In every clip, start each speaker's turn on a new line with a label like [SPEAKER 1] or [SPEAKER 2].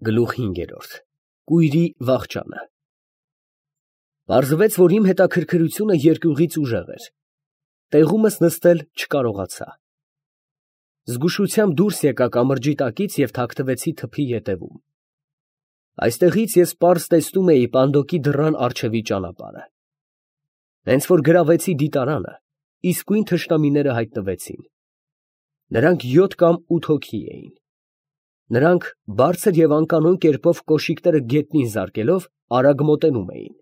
[SPEAKER 1] Գլուխ 5 Կույրի վախճանը Պարզվեց, որ իմ հետաքրքրությունը երկյուղից ուժեղ էր, տեղումս նստել չկարողացա, զգուշությամբ դուրս եկա կամրջի տակից և թաքնվեցի թփի ետևում, այստեղից ես պարզ տեսնում էի պանդոկի դռան առջևի ճանապարհը, հենց որ գրավեցի դիտարանը, իսկույն թշնամիները հայտնվեցին, նրանք 7 կամ 8 հոգի էին. Նրանք բարձր և անկանոն կերպով կոշիկները գետնին զարկելով արագ մոտենում էին.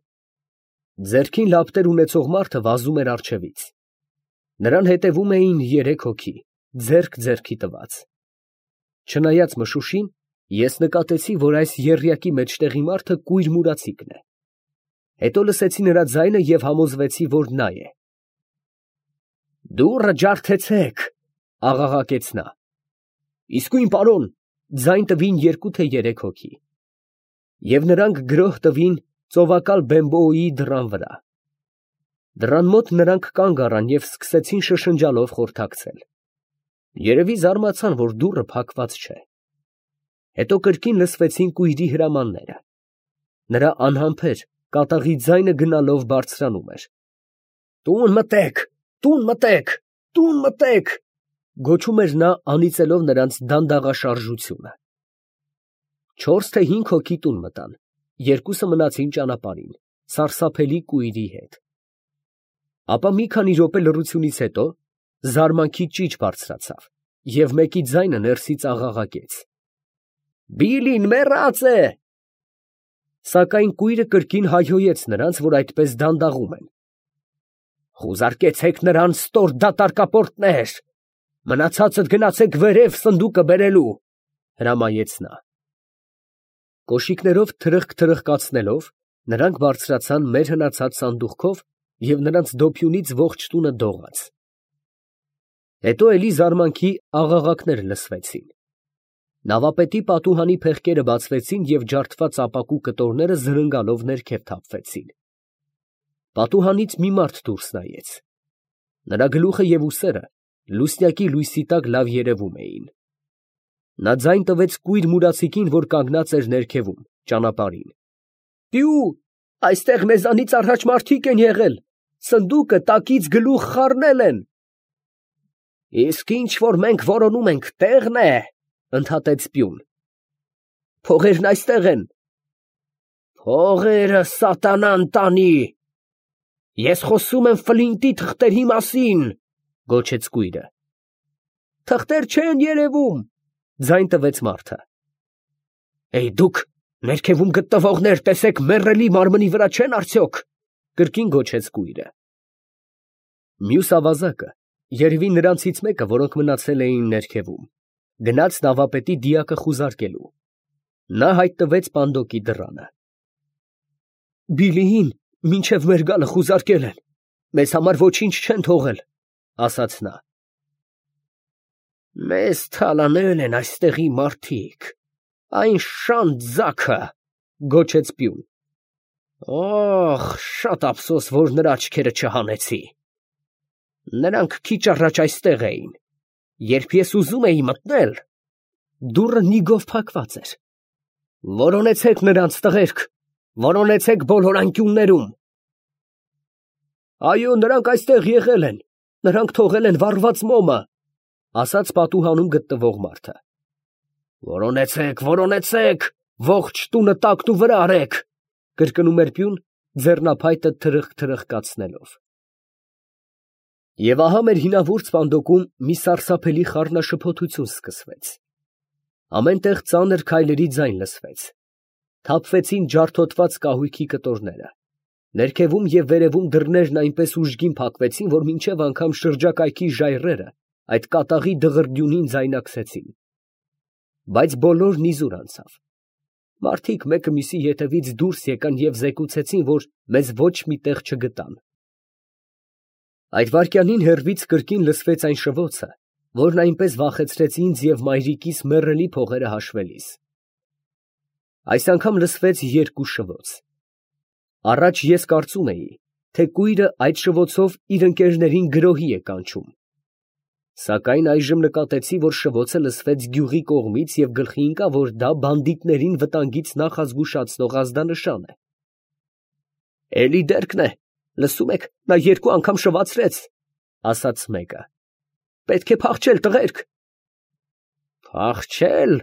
[SPEAKER 1] ձեռքին լապտեր ունեցող մարդը վազում էր առջևից, նրան հետևում էին 3 հոգի, ձեռք ձեռքի տված, չնայած մշուշին, ես նկատեցի, որ այս եռյակի մեջտեղի մարդը կույր մուրացիկն է, հետո լսեցի նրա ձայնը և համոզվեցի, որ նա է. «Դուռը ջարդեցեք», աղաղակեց նա. «Իսկույն պարոն», ձայն տվին 2 թե 3 հոգի, և նրանք գրոհ տվին ծովակալ Բեմբոյի դռան վրա, դռան մոտ նրանք կանգ առան և սկսեցին շշնջալով խորհրդակցել, երևի զարմացան, որ դուռը փակված չէ, հետո կրկին լսվեցին կույրի հրամանները, նրա անհամբեր, կատաղի ձայնը գնալով բարձրանում էր. «Տուն մտեք, տուն մտեք, տուն մտեք», գոչում էր նա, անիծելով նրանց դանդաղաշարժությունը, 4 թե 5 հոգի տուն մտան, 2-ը մնացին ճանապարհին, սարսափելի կույրի հետ, ապա մի քանի րոպե լռությունից հետո զարմանքի ճիչ բարձրացավ և մեկի ձայնը ներսից աղաղակեց. «Բիլին մեռած է», սակայն կույրը կրկին հայհոյեց նրանց, որ այդպես դանդաղում են. «Խուզարկեցեք նրան, ստոր դատարկապորտներ, մնացածդ գնացեք վերև սնդուկը բերելու», հրամայեց նա, կոշիկներով թրխկ-թրխկացնելով, նրանք բարձրացան մեր հնացած սանդուղքով և նրանց դոփյունից ողջ տունը դողաց, հետո էլի զարմանքի աղաղակներ լսվեցին, նավապետի պատուհանի փեղկերը բացվեցին և ջարդված ապակու կտորները զրնգալով ներքև թափվեցին, պատուհանից մի մարդ դուրս նայեց, նրա գլուխը և ուսերը լուսնյակի լույսի տակ լավ երևում էին, նա ձայն տվեց կույր մուրացիկին, որ կանգնած էր ներքևում, ճանապարհին. «Տյու, այստեղ մեզանից առաջ մարդիկ են եղել, սնդուկը տակից գլուխ խառնել են»։ «Իսկ ինչ որ մենք որոնում ենք, տեղն է», ընդհատեց Պյուն. «Փողերն այստեղ են»։ «Փողերը սատանան տանի, ես խոսում եմ Ֆլինտի թղթերի մասին», գոչեց կույրը։ «Թղթեր չեն երևում», ձայն տվեց մարդը։ «Դուք ներքևում գտնվողներ, տեսեք մեռելի մարմնի վրա չեն արդյոք», կրկին գոչեց կույրը։ Մյուս ավազակը, երևի նրանցից մեկը, որոնք մնացել էին ներքևում, գնաց նավապետի դիակը խուզարկելու, նա հայտնվեց պանդոկի դռանը։ «Բիլիին մինչև մեր գալը խուզարկել են, մեզ համար ոչինչ չեն թողել», ասաց նա։ «Մեզ թալանել են այստեղի մարդիկ, այն շան ձագը», գոչեց Պյուն։ «Օխ, շատ ափսոս, որ նրա աչքերը չհանեցի, նրանք քիչ առաջ այստեղ էին, երբ ես ուզում էի մտնել, դուռը նիգով փակված էր, որոնեցեք նրանց, տղերք, որոնեցեք բոլոր անկյուններում»։ «Այո, նրանք այստեղ եղել են, նրանք թողել են վառված մոմը», ասաց պատուհանում գտնվող մարդը։ «Որոնեցեք, որոնեցեք, ողջ տունը տակնուվրա արեք», կրկնում էր Պյուն, ձեռնափայտը թրխկ-թրխկացնելով։ Եվ ահա մեր հինավուրց պանդոկում մի սարսափելի խառնաշփոթություն սկսվեց, ամեն տեղ ծանր քայլերի ձայն լսվեց, թափվեցին ջարդոտված կահույքի կտորները, ներքևում և վերևում դռներն այնպես ուժգին փակվեցին, որ մինչև անգամ շրջակայքի ժայռերը այդ կատաղի դղրդյունին ձայնակցեցին, բայց բոլորն իզուր անցավ, մարդիկ մեկը մյուսի ետևից դուրս եկան և զեկուցեցին, որ մեզ ոչ մի տեղ չգտան։ Այդ վայրկյանին հեռվից կրկին լսվեց այն շվոցը, որն այնպես վախեցրեց ինձ և մայրիկիս մեռելի փողերը հաշվելիս։ Այս անգամ լսվեց 2 շվոց։ Առաջ ես կարծում էի, թե կույրը այդ շվոցով իր ընկերներին գրոհի է կանչում, Սակայն այժմ նկատեցի, որ շվոցը լսվեց գյուղի կողմից և գլխի ընկա, որ դա բանդիտներին վտանգից նախազգուշացնող ազդանշան է։ «Էլի դերկն է, լսում եք, նա երկու անգամ շվացրեց», ֊ ասաց մեկը։ «Պետք է փախչել, տղերք»։ «Փախչել,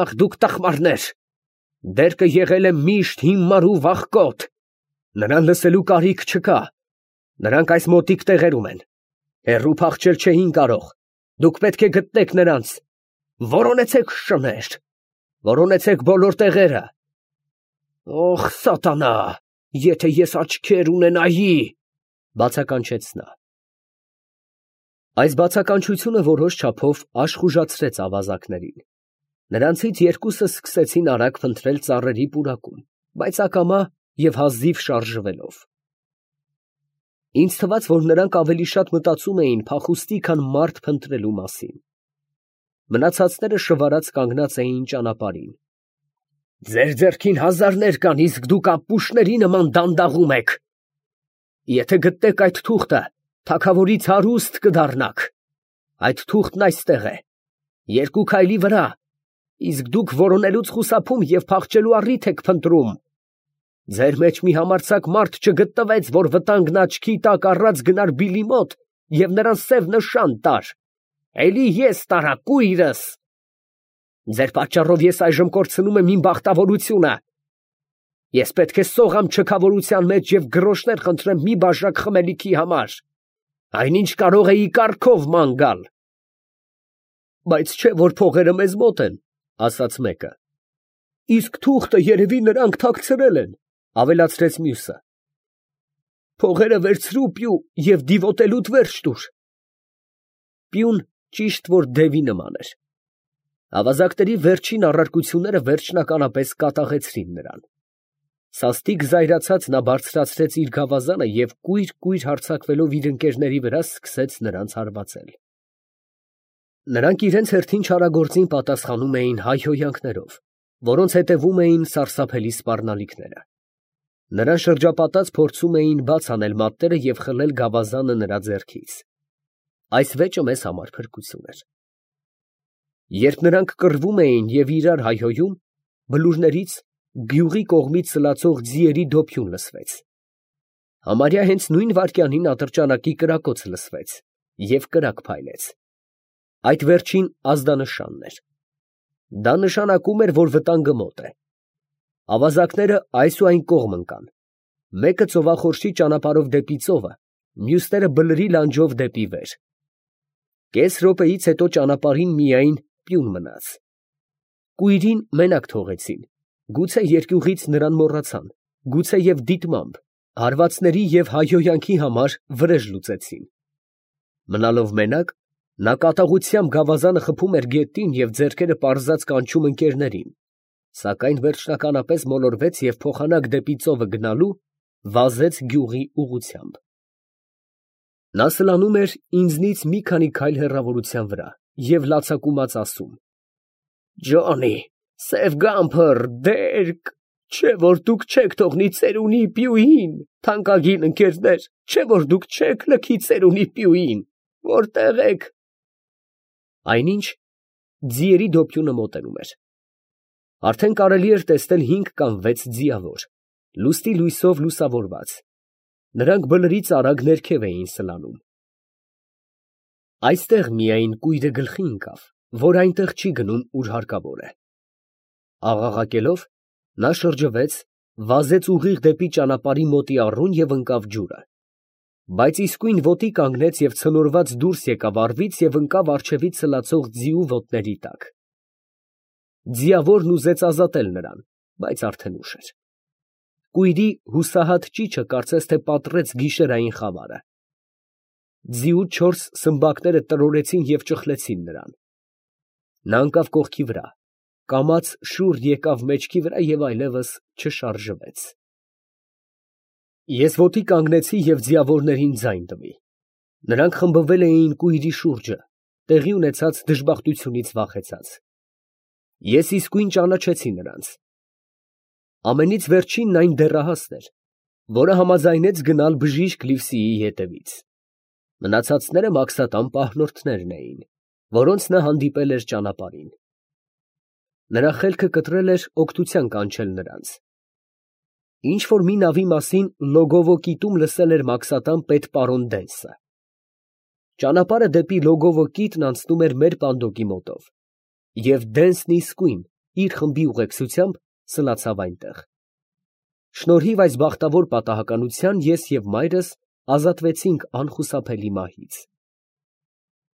[SPEAKER 1] ախ դուք տխմարներ, դերկը եղել է միշտ հիմար ու վախկոտ, նրան լսելու կարիք չկա, նրանք այս մոտիկ տեղերում են, հեռու փախչել չէին կարող, դուք պետք է գտնեք նրանց, որոնեցեք շներ, որոնեցեք բոլոր տեղերը։ Օխ սատանա, եթե ես աչքեր ունենայի, բացականչեց նա։ Այս բացականչությունը որոշ չափով աշխուժացրեց ավազակներին։ Նրանցից երկուսը սկսեցին արագ փնտրել ծառերի պուրակում, բայց ակամա և հազիվ շարժվելով։ Ինձ թվաց, որ նրանք ավելի շատ մտածում էին փախուստի, քան մարդ փնտրելու մասին։ Մնացածները շվարած կանգնած էին ճանապարհին։ «Ձեր ձեռքին հազարներ կան, իսկ դուք ապուշների նման դանդաղում եք։ Եթե գտնեք այդ թուղթը, թագավորից հարուստ կդառնաք։ Այդ թուղթն այստեղ է, երկու քայլի վրա, իսկ դուք որոնելուց խուսափում և փախչելու առիթ եք փնտրում։ Ձեր մեջ մի համարձակ մարդ չգտնվեց, որ վտանգն աչքի տակ առած գնար բիլի մոտ և նրան սև նշան տար։ Էլի ես տարա կույրս։ Ձեր պատճառով ես այժմ կորցնում եմ իմ բախտավորությունը։ Ես պետք է սողամ չքավորության մեջ և գրոշներ խնդրեմ մի բաժակ խմելիքի համար։ Այնինչ կարող էի կառքով ման գալ։ Բայց չէ, որ փողերը մեզ մոտ են, ասաց մեկը։ Իսկ թուղթը երևի նրանք թաքցրել են, ավելացրեց մյուսը։ Փողերը վերցրու պյու և դիվոտելուդ վերջ տուր։ Պյուն ճիշտ որ դևի նման էր։ Ավազակների վերջին առարկությունները վերջնականապես կատաղեցրին նրան։ Սաստիկ զայրացած նա բարձրացրեց իր գավազանը և կույր հարձակվելով իր ընկերների վրա սկսեց նրանց հարվածել։ Նրանք իրենց հերթին չարագործին պատասխանում էին հայհոյանքներով, որոնց հետևում էին սարսափելի սպառնալիքները։ Նրան շրջապատած փորձում էին բաց անել մատները և խլել գավազանը նրա ձեռքից։ Այս վեճը մեզ համար փրկություն էր։ Երբ նրանք կռվում էին և իրար հայհոյում, բլուրներից գյուղի կողմից սլացող ձիերի դոփյուն լսվեց։ Համարյա հենց նույն վայրկյանին ատրճանակի կրակոց լսվեց և կրակ փայլեց։ Այդ վերջին ազդանշանն էր։ Դա նշանակում էր, որ վտանգը մոտ է։ Ավազակները այս ու այն կողմ ընկան։ Մեկը ծովախորշի ճանապարհով դեպի ծովը, մյուսները բլրի լանջով դեպի վեր։ Կես րոպեից հետո ճանապարհին միայն պյուն մնաց։ Կույրին մենակ թողեցին, գուցե երկյուղից նրան մոռացան, գուցե և դիտմամբ, հարվածների և հայհոյանքի համար վրեժ լուծեցին։ Մնալով մենակ, նա կատաղությամբ գավազանը խփում էր գետին և ձեռքերը պարզած կանչում ընկերներին, սակայն վերջնականապես մոլորվեց և փոխանակ դեպի ծովը գնալու վազեց գյուղի ուղղությամբ։ Նա սլանում էր ինձնից մի քանի քայլ հեռավորության վրա և լացակումած ասում. «Ջոնի, Սև Գամփր, դերկ, չէ որ դուք չեք թողնի ծերունի պյուին, թանկագին ընկերներ, չէ որ դուք չեք լքի ծերունի պյուին, որտե՞ղ եք»։ Այնինչ ձիերի դոփյունը մոտենում էր։ Արդեն կարելի էր տեսնել 5 կամ 6 ձիավոր, լուսնի լույսով լուսավորված։ Նրանք բլրից արագ ներքև էին սլանում։ Այստեղ միայն կույրը գլխի ընկավ, որ այնտեղ չի գնում, ուր հարկավոր է։ Աղաղակելով, նա շրջվեց, վազեց ուղիղ դեպի ճանապարհի մոտի առուն և ընկավ ջուրը։ Բայց իսկույն ոտի կանգնեց և ցնորված դուրս եկավ առվից և ընկավ առջևից սլացող ձիու ոտների տակ։ Ձիավորն ուզեց ազատել նրան, բայց արդեն ուշ էր։ Կույրի հուսահատ ճիչը կարծես թե պատռեց գիշերային խավարը։ Ձիու 4 սմբակները տրորեցին և ճխլեցին նրան։ Նա ընկավ կողքի վրա, կամաց շուռ եկավ մեջքի վրա և այլևս չշարժվեց։ Ես ոտի կանգնեցի և ձիավորներին ձայն տվի։ Նրանք խմբվել էին կույրի շուրջը, տեղի ունեցած դժբախտությունից վախեցած։ Ես իսկույն ճանաչեցի նրանց։ Ամենից վերջինն այն դեռահասն էր, որը համաձայնեց գնալ բժիշկ Լիվսիի հետևից։ Մնացածները մաքսատան պահնորդներն էին, որոնց նա հանդիպել էր ճանապարհին։ Նրա խելքը կտրել էր օգնության կանչել նրանց։ Ինչ որ մի նավի մասին Լոգովո կիտում լսել էր մաքսատան պետ պարոն Դենսը։ Ճանապարհը դեպի Լոգովո կիտն անցնում էր մեր պանդոկի մոտով, և Դենսն իսկույն իր խմբի ուղեկցությամբ սլացավ այնտեղ։ Շնորհիվ այս բախտավոր պատահականության ես և մայրս ազատվեցինք անխուսափելի մահից։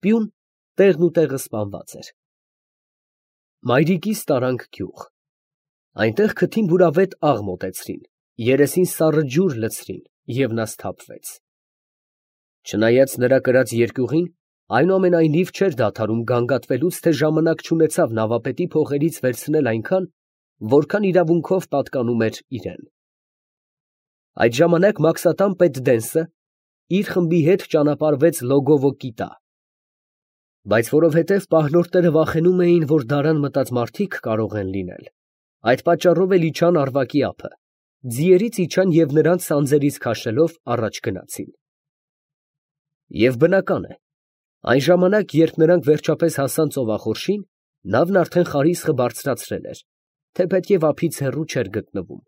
[SPEAKER 1] Պյուն տեղն ու տեղը սպանված էր։ Մայրիկիս տարանք գյուղ։ Այնտեղ քթին բուրավետ աղ մոտեցրին, երեսին սառը ջուր լցրին, և նա սթափվեց։ Չնայած նրա կրած երկյուղին, այնուամենայնիվ չէր դադարում գանգատվելուց, թե ժամանակ չունեցավ նավապետի փողերից վերցնել այնքան, որքան իրավունքով պատկանում էր իրան։ Այդ ժամանակ մաքսատան պետ Դենսը իր խմբի հետ ճանապարհվեց Լոգովո կիտա։ Բայց որովհետև պահնորդները վախենում էին, որ դարան մտած մարդիկ կարող են լինել, այդ պատճառով էլ իջան Արվակի ափը, ձիերից իջան և նրանց սանձերից քաշելով առաջ գնացին։ Եվ բնական է, այն ժամանակ, երբ նրանք վերջապես հասան ծովախորշին, նավն արդեն խարիսխը բարձրացրել էր, թեպետև ափից հեռու չէր գտնվում։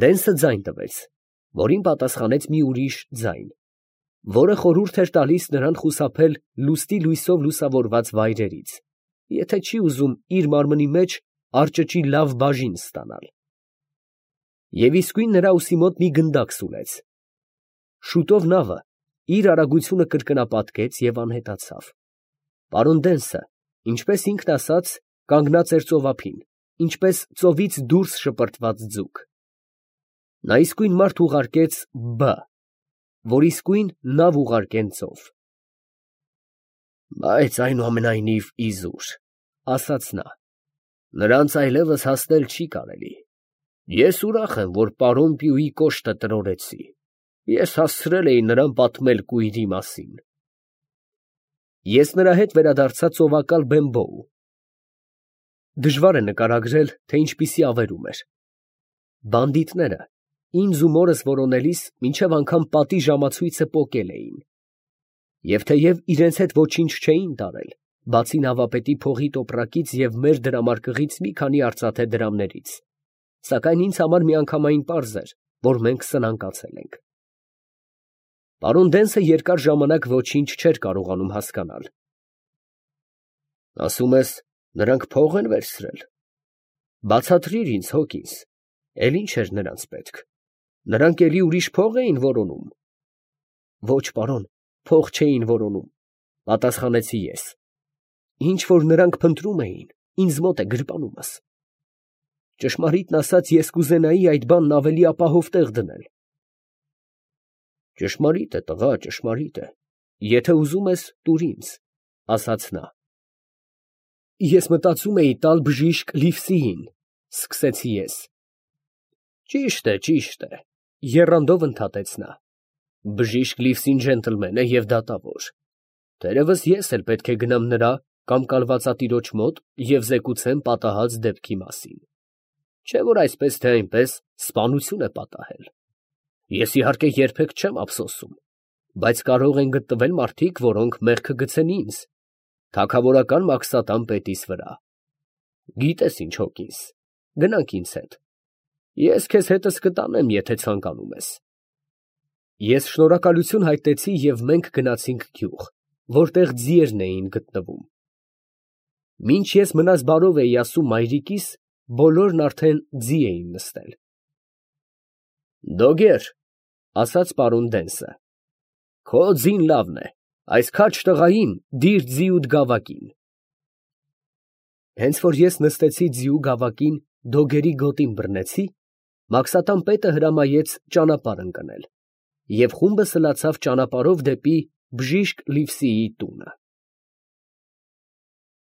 [SPEAKER 1] Դենսը ձայն տվեց, որին պատասխանեց մի ուրիշ ձայն, որը խորհուրդ էր տալիս նրան խուսափել լուստի լույսով լուսավորված վայրերից, եթե չի ուզում իր մարմնի մեջ արճճի լավ բաժին ստանալ։ Եվ իսկույն նրա ուսի մոտ մի գնդակ սուլեց։ Շուտով նավը իր արագությունը կրկնապատկեց և անհետացավ։ Պարոն Դենսը, ինչպես ինքն ասաց, կանգնած էր ծովափին, ինչպես ծովից դուրս շպրտված ձուկ։ Նա իսկույն մարդ ուղարկեց Բ, որ իսկույն նավ ուղարկեն ծով։ Բայց այնուամենայնիվ իզուր, ասաց նա, նրանց այլևս հասնել չի կարելի։ Ես ուրախ եմ, որ պարոն Պյուի կոշտը տրորեցի։ Ես հասցրել էի նրան պատմել կույրի մասին։ Ես նրա հետ վերադարձա ծովակալ Բեմբոու։ Դժվար է նկարագրել, թե ինչպիսի ավերում էր։ Բանդիտները ինձ ու մորս որոնելիս մինչև անգամ պատի ժամացույցը պոկել էին։ Եվ թեև իրենց հետ ոչինչ չէին տարել, բացի նավապետի փողի տոպրակից և մեր դրամարկղից մի քանի արծաթե դրամներից, սակայն ինձ համար միանգամայն պարզ էր, որ մենք սնանկացել ենք։ Պարոն Դենսը երկար ժամանակ ոչինչ չէր կարողանում հասկանալ։ Ասում ես, նրանք փող են վերցրել։ Բացատրիր ինձ, Հոկինս, էլ ինչ էր նրանց պետք։ Նրանք էլի ուրիշ փող էին որոնում։ Ոչ, պարոն, փող չէին որոնում, պատասխանեցի ես։ Ինչ որ նրանք փնտրում էին, ինձ մոտ է գրպանումս։ Ճշմարիտն ասած, ես կուզենայի այդ բանն ավելի ապահով տեղ դնել։ Ճշմարիտ է, տղա, ճշմարիտ է։ Եթե ուզում ես, տուր ինձ, ասաց նա։ Ես մտածում էի տալ բժիշկ Լիվսիին, սկսեցի ես։ Ճիշտ է, եռանդով ընդհատեց նա։ Բժիշկ Լիվսին ջենտլմեն է և դատավոր։ Թերևս ես էլ պետք է գնամ նրա կամ կալվածատիրոջ մոտ և զեկուցեմ պատահած դեպքի մասին։ Չէ՞ որ այսպես թե այնպես սպանություն է պատահել։ Ես իհարկե երբեք չեմ ափսոսում, բայց կարող են գտնվել մարդիկ, որոնք մեղքը գցեն ինձ, թագավորական մաքսատան պետիս վրա։ Գիտես ինչ, Հոկինս, գնանք ինձ հետ։ Ես քեզ հետս կտանեմ, եթե ցանկանում ես։ Ես շնորհակալություն հայտնեցի և մենք գնացինք գյուղ, որտեղ ձիերն էին գտնվում։ Մինչ ես մնաս բարով էի ասում մայրիկիս, բոլորն արդեն ձի էին նստել։ Դոգեր, ասաց պարոն Դենսը, քո ձին լավն է, այս քաջ տղային դիր ձիուդ գավակին։ Հենց որ ես նստեցի ձիու գավակին, դոգերի գոտին բռնեցի, մաքսատան պետը հրամայեց ճանապարհ ընկնել, և խումբը սլացավ ճանապարհով դեպի բժիշկ Լիվսիի տունը։